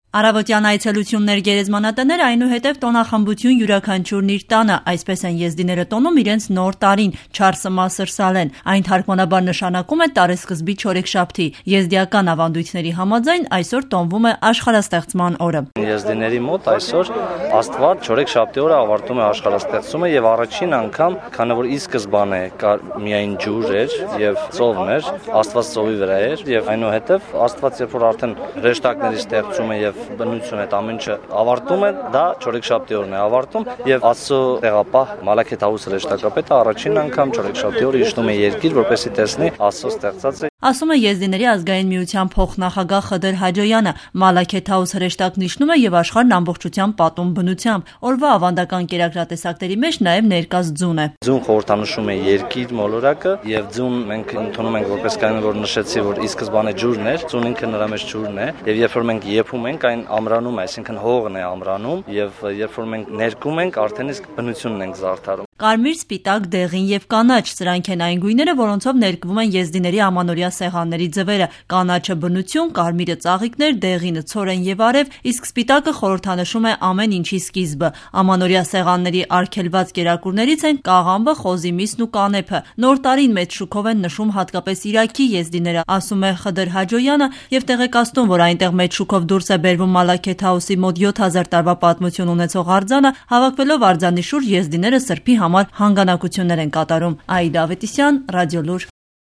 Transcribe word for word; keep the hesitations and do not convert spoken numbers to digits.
Առավոտյան այցելություններ, գերեզմանատներ, այնուհետև տոնախմբություն յուրաքանչյուրն իր տանը, այսպես են եզդիները տոնում իրենց նոր տարին, Չարսը Մասր Սալեն, այն թարգմանաբար նշանակում է տարեսկզբի չորեքշաբթի, եզդիական ավանդույթների համաձայն այսօր տոնվում է աշխարհաստեղծման օրը։ Եզդիների մոտ այսօր Աստված չորեքշաբթի օրը ավարտում է աշխարհաստեղծումը եւ առաջին անգամ, քանի որ ի սկզբանե կար միայն ջուր էր եւ ծովն էր, Աստված ծովի վրա էր եւ այնուհետև Աստված երբ որ արդեն հրեշտակների ստեղծում է եւ բնություն այդ ամեն ինչը ավարտում է, դա չորեքշաբթի օրն է ավարտում եւ Աստծո տեղապահ Մալաքեթ Հաուսը հրեշտակապետը առաջին անգամ չորեքշաբթի օրը իջնում է երկիր, որպեսզի տեսնի Աստծո ստեղծածը։ Ասում է Եզդիների ազգային միության փոխնախագահ Խդր Հաջոյանը, Մալաքեթ Հաուս հրեշտակն իջնում է եւ աշխարհն ամբողջությամբ պատում բնությամբ։ Օրվա ավանդական կերակրատեսակների մեջ նաեւ ներկաց ձուն է։ Ձուն խորհրդանշում է երկիր մոլորակը եւ ձուն մենք ընդունում ենք որպես կանոն, որ նշեցի, որ ի սկզբանե ջուրն էր, ձուն ինքը նրա մեջ ջուրն է եւ երբ որ մենք եփում ենք, այն ամրանում է, այսինքն հողն է ամրանում եւ երբ որ մենք ներկում ենք, արդեն իսկ բնությունն ենք զարդարում։ Կարմիր, սպիտակ, դեղին եւ կանաչ, սրանք են այն գույները, որոնցով ներկվում են եզդիների ամանորյա սեղանների ձվերը։ Կանաչը բնություն, կարմիրը ծաղիկներ, դեղինը ցորեն եւ արև, իսկ սպիտակը խորհրդանշում է ամեն ինչի սկիզբը։ Ամանորյա սեղանների արգելված կերակուրներից են կաղամբը, խոզի միսն ու կանեփը։ Նոր տարին մեծ շուքով են նշում հատկապես Իրաքի եզդիները, ասում է Խդր Հաջոյանը եւ տեղեկացնում, որ այնտեղ մեծ շուքով դուրս է բերվում Մալաքեթ Հաուսի մոտ յոթ հազար տարվա պատմություն ունեցող արձանը, հավաքվելով արձանի շուրջ եզդիները սրբի համար հանգանակություններ են կատարում։ Աիդա Ավետիսյան, Ռադիոլուր։